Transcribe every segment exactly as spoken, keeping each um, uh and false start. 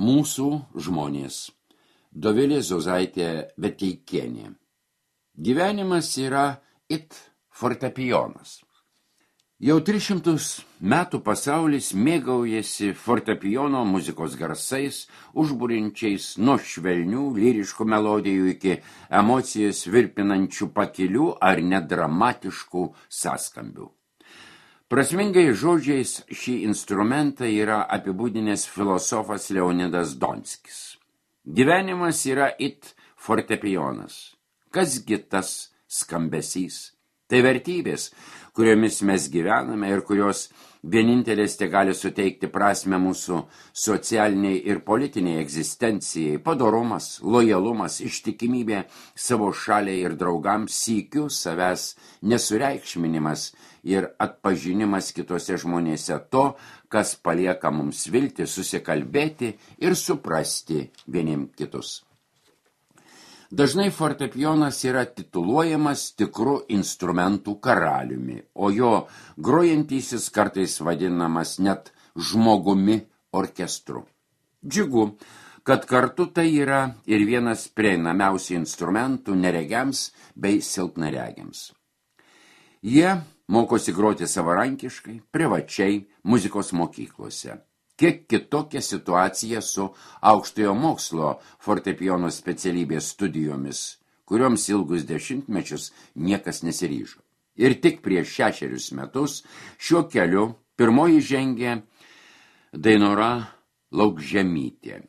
Mūsų žmonės. Dovilė Zozaitė Veteikienė. Gyvenimas yra it fortepijonas. Jau tris šimtus metų pasaulis mėgaujasi fortepijono muzikos garsais, užbūrinčiais nuo švelnių lyriškų melodijų iki emocijas virpinančių pakilių ar nedramatiškų sąskambių. Prasmingai žodžiais šį instrumentą yra apibūdinęs filosofas Leonidas Donskis. Gyvenimas yra it fortepijonas. Kasgi tas skambesys? Tai vertybės, kuriomis mes gyvename ir kurios vienintelės te gali suteikti prasmę mūsų socialiniai ir politiniai egzistencijai, padorumas, lojalumas, ištikimybė savo šaliai ir draugams, sykiu savęs nesureikšminimas ir atpažinimas kitose žmonėse to, kas palieka mums viltį susikalbėti ir suprasti vieniem kitus. Dažnai fortepijonas yra tituluojamas tikru instrumentų karaliumi, o jo grojantysis kartais vadinamas net žmogumi orkestru. Džiugu, kad kartu tai yra ir vienas prieinamiausių instrumentų neregiams bei silpnaregiams. Jie mokosi groti savarankiškai, privačiai, muzikos mokyklose. Kiek kitokia situacija su aukštojo mokslo fortepijono specialybės studijomis, kurioms ilgus dešimtmečius niekas nesiryžo. Ir tik prieš šešerius metus šiuo keliu pirmoji žengė Dainora Laukžemytė,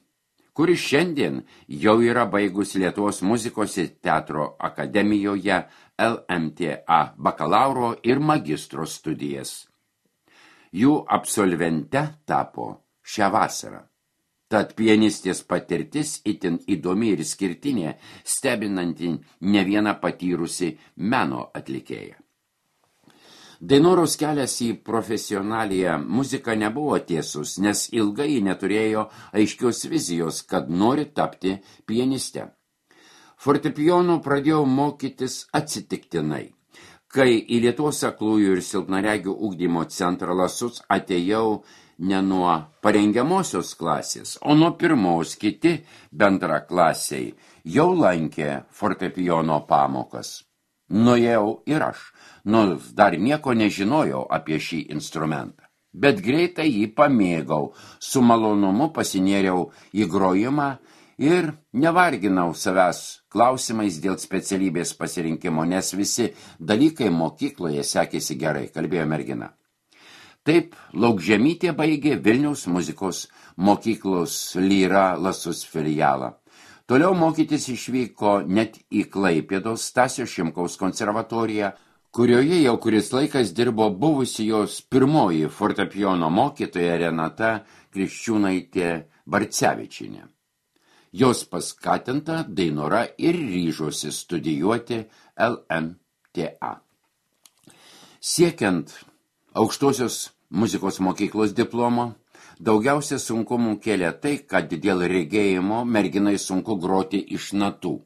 kuri šiandien jau yra baigus Lietuvos muzikos ir teatro akademijoje L M T A bakalauro ir magistro studijas. Jų absolvente tapo šią vasarą. Tad pianistės patirtis itin įdomi ir skirtinė, stebinanti ne vieną patyrusi meno atlikėją. Dainoros kelias į profesionaliją muziką nebuvo tiesus, nes ilgai neturėjo aiškios vizijos, kad nori tapti pianiste. Fortepijono pradėjau mokytis atsitiktinai. Kai į Lietuvos aklųjų ir silpnaregių ugdymo centrą Lasus atėjau ne nuo parengiamosios klasės, o nuo pirmos, kiti bendraklasiai jau lankė fortepijono pamokas. Nuėjau ir aš, nors dar nieko nežinojau apie šį instrumentą. Bet greitai jį pamėgau, su malonumu pasinėriau į grojimą ir nevarginau savęs klausimais dėl specialybės pasirinkimo, nes visi dalykai mokykloje sekėsi gerai, kalbėjo mergina. Taip, Laukžemytė baigė Vilniaus muzikos mokyklos Lyra Lasus filialą. Toliau mokytis išvyko net į Klaipėdos Stasio Šimkaus konservatoriją, kurioje jau kuris laikas dirbo buvusi jos pirmoji fortepijono mokytoja Renata Kriščiūnaitė Barcevičienė. Jos paskatinta Dainora ir ryžosi studijuoti L M T A. Siekiant aukštosios muzikos mokyklos diplomo, daugiausia sunkumų kėlė tai, kad dėl regėjimo merginai sunku groti iš natų.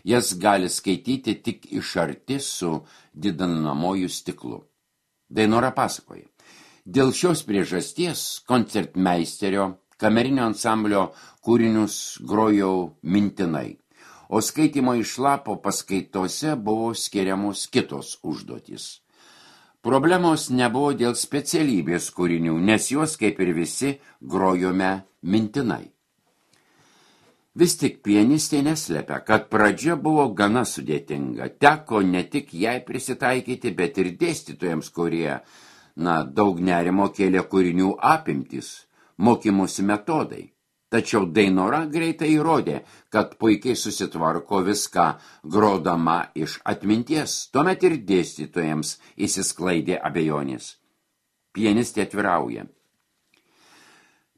Jas gali skaityti tik iš arti su didinamuoju stiklu. Dainora pasakoja. Dėl šios priežasties koncertmeisterio kamerinio ansamblio kūrinius grojau mintinai, o skaitymo iš lapo paskaitose buvo skiriamos kitos užduotys. Problemos nebuvo dėl specialybės kūrinių, nes juos, kaip ir visi, grojome mintinai. Vis tik pianistė neslepia, kad pradžia buvo gana sudėtinga. Teko ne tik jai prisitaikyti, bet ir dėstytojams, kurie, na, daug nerimo kėlė kūrinių apimtis, mokymosi metodai. Tačiau Dainora greitai įrodė, kad puikiai susitvarko viską grodama iš atminties. Tuomet ir dėstytojams įsisklaidė abejonės. Pianistė atvirauja.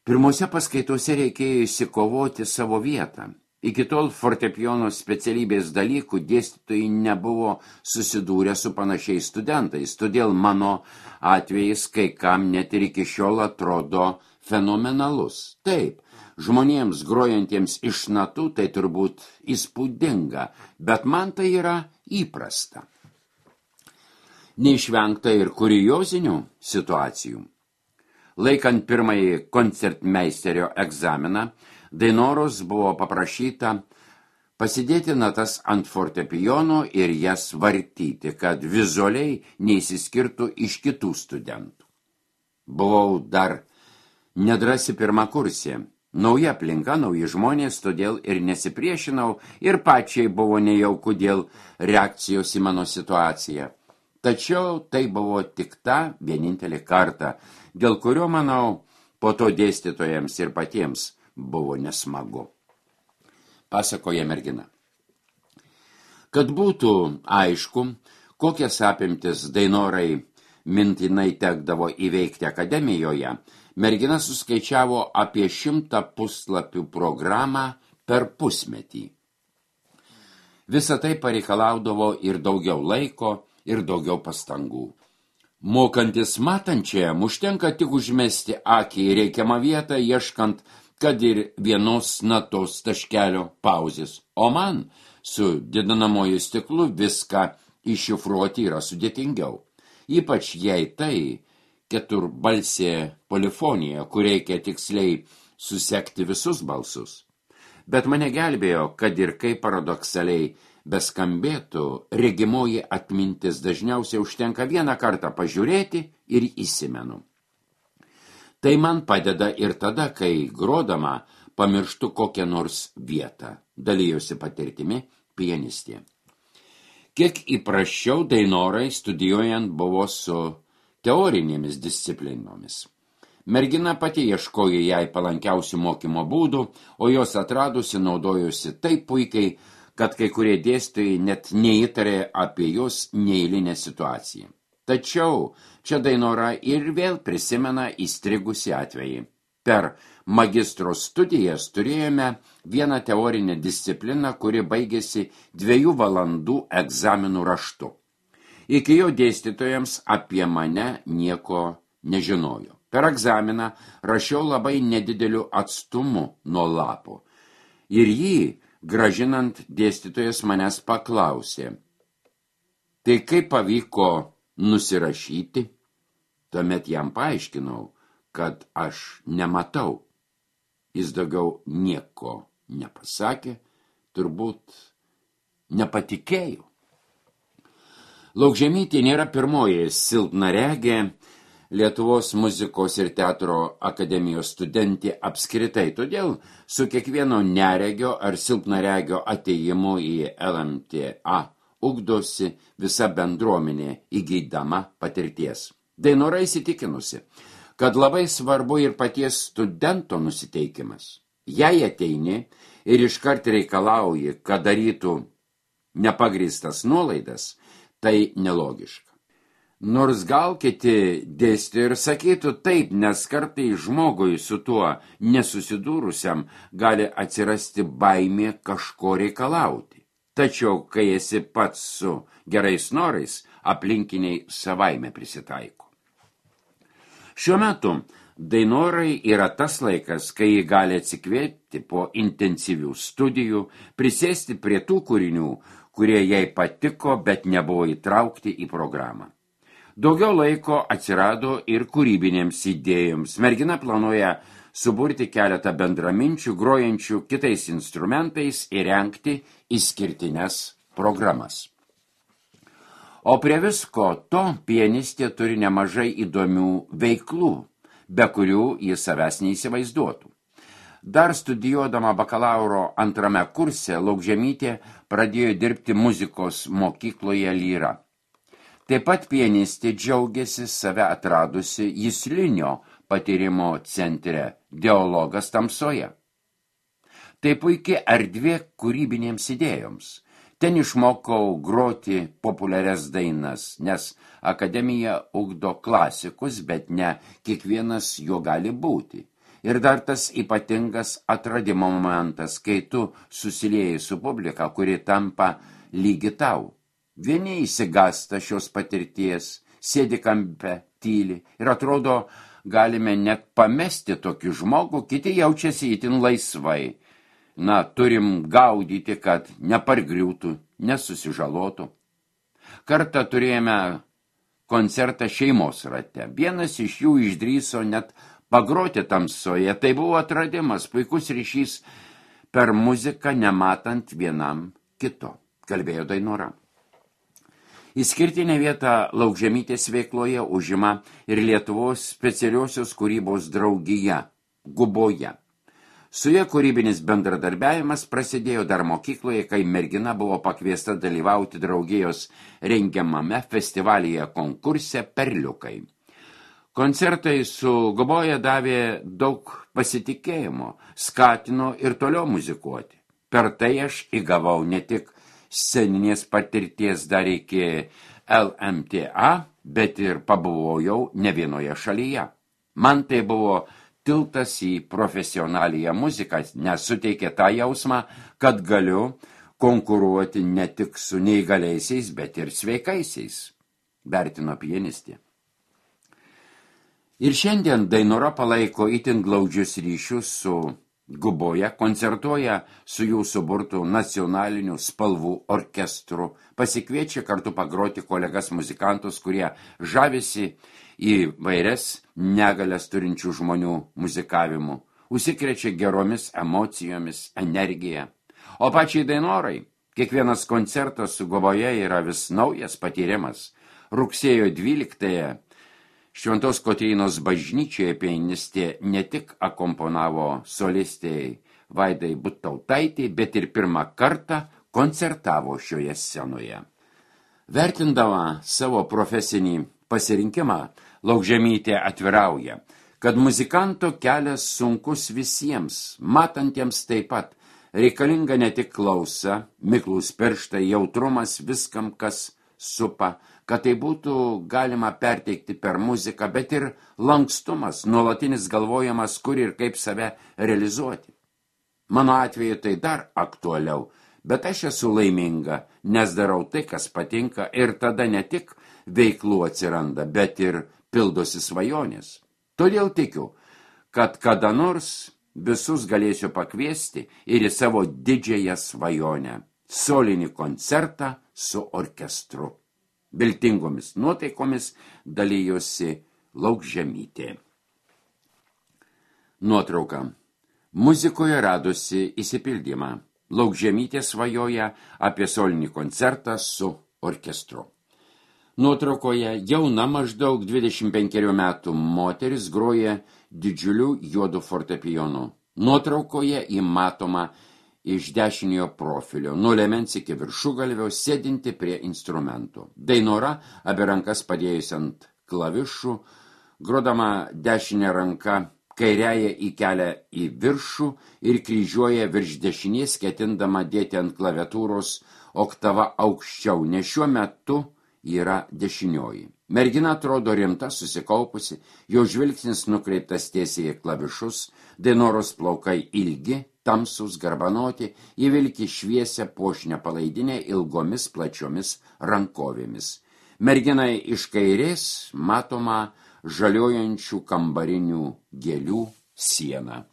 Pirmose paskaitose reikėjo įsikovoti savo vietą. Iki tol fortepijono specialybės dalykų dėstytojai nebuvo susidūrę su panašiais studentais, todėl mano atvejais kai kam net ir iki šiol atrodo fenomenalus. Taip, žmonėms grojantiems iš natų tai turbūt įspūdinga, bet man tai yra įprasta. Neišvengta ir kuriozinių situacijų. Laikant pirmąjį koncertmeisterio egzaminą, Dainoros buvo paprašyta pasidėti natas ant fortepijono ir jas vartyti, kad vizualiai neįsiskirtų iš kitų studentų. Buvau dar nedrasi pirmakursė. Nauja aplinka, nauji žmonės, todėl ir nesipriešinau ir pačiai buvo nejauku dėl reakcijos į mano situaciją. Tačiau tai buvo tik ta vienintelė kartą, dėl kurio, manau, po to dėstytojams ir patiems buvo nesmagu. Pasakoja mergina. Kad būtų aišku, kokias apimtis Dainorai mintinai tekdavo įveikti akademijoje, mergina suskaičiavo apie šimtą puslapių programą per pusmetį. Visa tai pareikalaudavo ir daugiau laiko, ir daugiau pastangų. Mokantis matančiajam užtenka tik užmesti akį į reikiamą vietą, ieškant, kad ir vienos natos taškelio pauzės. O man su didinamoju stiklu viską iššifruoti yra sudėtingiau. Ypač jei tai keturbalsė polifonija, kur reikia tiksliai susekti visus balsus. Bet mane gelbėjo, kad ir kaip paradoksaliai beskambėtų, regimoji atmintis dažniausiai užtenka vieną kartą pažiūrėti ir įsimenu. Tai man padeda ir tada, kai grodama pamirštu kokią nors vietą, dalijosi patirtimi pianistė. Kiek įprasčiau Dainorai studijuojant buvo su teorinėmis disciplinomis. Mergina pati ieškojo jai palankiausių mokymo būdų, o jos atradusi naudojusi taip puikiai, kad kai kurie dėstytojai net neįtarė apie jos neeilinę situaciją. Tačiau čia Dainora ir vėl prisimena įstrigusi atvejį. Per magistro studijas turėjome vieną teorinę discipliną, kuri baigėsi dviejų valandų egzaminų raštu. Iki jo dėstytojams apie mane nieko nežinojo. Per egzaminą rašiau labai nedideliu atstumu nuo lapo. Ir jį, gražinant, dėstytojas manęs paklausė: tai kaip pavyko nusirašyti? Tuomet jam paaiškinau, kad aš nematau. Jis daugiau nieko nepasakė, turbūt nepatikėjo. Laukžemytė nėra pirmoji silpnaregė Lietuvos muzikos ir teatro akademijos studentė apskritai, todėl su kiekvieno neregio ar silpnaregio atėjimu į L M T A ugdosi visa bendruomenė įgydama patirties. Dainora įsitikinusi, kad labai svarbu ir paties studento nusiteikimas. Jei ateini ir iškart reikalauji, kad darytų nepagrįstas nuolaidas, tai nelogiška. Nors gal kiti dėstų ir sakytų taip, nes kartai žmogui su tuo nesusidūrusiam gali atsirasti baimė kažko reikalauti. Tačiau, kai esi pats su gerais norais, aplinkiniai savaime prisitaiko. Šiuo metu Dainorai yra tas laikas, kai ji gali atsikvėpti po intensyvių studijų, prisėsti prie tų kūrinių, kurie jai patiko, bet nebuvo įtraukti į programą. Daugiau laiko atsirado ir kūrybinėms idėjoms. Mergina planuoja suburti keletą bendraminčių, grojančių kitais instrumentais ir rengti išskirtines programas. O prie visko to pianistė turi nemažai įdomių veiklų, be kurių jis savęs neįsivaizduotų. Dar studijuodama bakalauro antrame kurse, Laukžemytė pradėjo dirbti muzikos mokykloje Lyra. Taip pat pianistė džiaugiasi save atradusi juslinio patyrimo centre Dialogas tamsoje. Tai puikiai erdvė kūrybinėms idėjoms. Ten išmokau groti populiarias dainas, nes akademija ugdo klasikus, bet ne kiekvienas jo gali būti. Ir dar tas ypatingas atradimo momentas, kai tu susilieji su publika, kuri tampa lygi tau. Vieni įsigasta šios patirties, sėdi kampe, tyli ir atrodo, galime net pamesti tokį žmogų, kiti jaučiasi itin laisvai. Na, turim gaudyti, kad nepargriūtų, nesusižalotų. Kartą turėjome koncertą šeimos rate. Vienas iš jų išdrįso net Pagroti tamsoje tai buvo atradimas, puikus ryšys per muziką, nematant vienam kito, kalbėjo Dainora. Išskirtinę vietą Laukžemytės veikloje užima ir Lietuvos specialiosios kūrybos draugija Guboje. Su ja kūrybinis bendradarbiavimas prasidėjo dar mokykloje, kai mergina buvo pakviesta dalyvauti draugijos rengiamame festivalyje konkurse Perliukai. Koncertai su Guboje davė daug pasitikėjimo, skatino ir toliau muzikuoti. Per tai aš įgavau ne tik sceninės patirties dar iki L M T A, bet ir pabuvojau ne vienoje šalyje. Man tai buvo tiltas į profesionaliją muziką, nes suteikė tą jausmą, kad galiu konkuruoti ne tik su neįgaliaisiais, bet ir sveikaisiais, vertino pianistė. Ir šiandien Dainora palaiko itin glaudžius ryšius su Guboje, koncertuoja su jų suburtų nacionaliniu spalvų orkestru, pasikviečia kartu pagroti kolegas muzikantus, kurie žavisi įvairias negalias turinčių žmonių muzikavimu, užsikrečia geromis emocijomis, energija. O pačiai Dainorai kiekvienas koncertas su Guboje yra vis naujas patyrimas. Rugsėjo dvyliktąją Šventos Kotrynos bažnyčioje pianistė ne tik akomponavo solistei Vaidai Butautaitei, bet ir pirmą kartą koncertavo šioje scenoje. Vertindama savo profesinį pasirinkimą, Laukžemytė atvirauja, kad muzikanto kelias sunkus visiems, matantiems taip pat, reikalinga ne tik klausa, miklūs pirštai, jautrumas viskam, kas supa, kad tai būtų galima perteikti per muziką, bet ir lankstumas, nuolatinis galvojimas, kur ir kaip save realizuoti. Mano atveju tai dar aktualiau, bet aš esu laiminga, nes darau tai, kas patinka, ir tada ne tik veiklų atsiranda, bet ir pildosi svajonės. Todėl tikiu, kad kada nors visus galėsiu pakviesti ir į savo didžiąją svajonę – solinį koncertą su orkestru. Viltingomis nuotaikomis dalyjosi Laukžemytė. Nuotrauka. Muzikoje radosi įsipildymą. Laukžemytė svajoja apie solinį koncertą su orkestru. Nuotraukoje jauna maždaug dvidešimt penkerių metų moteris groja didžiuliu juodu fortepijonu. Nuotraukoje įmatoma iš dešiniojo profilio, nuo liemens iki viršugalvio, sėdinti prie instrumentų. Dainora, abi rankas padėjus ant klavišų, grodama dešinę ranką, kairiąją įkelia į viršų ir kryžiuoja virš dešinės, ketindama dėti ant klaviatūros oktava aukščiau, nes šiuo metu yra dešinioji. Mergina atrodo rimta, susikaupusi, jo žvilgsnis nukreiptas tiesiai į klavišus, Dainoros plaukai ilgi, tamsus, garbanoti, įvilki šviesią puošnią palaidinę ilgomis plačiomis rankovėmis. Merginai iš kairės matoma žaliojančių kambarinių gėlių siena.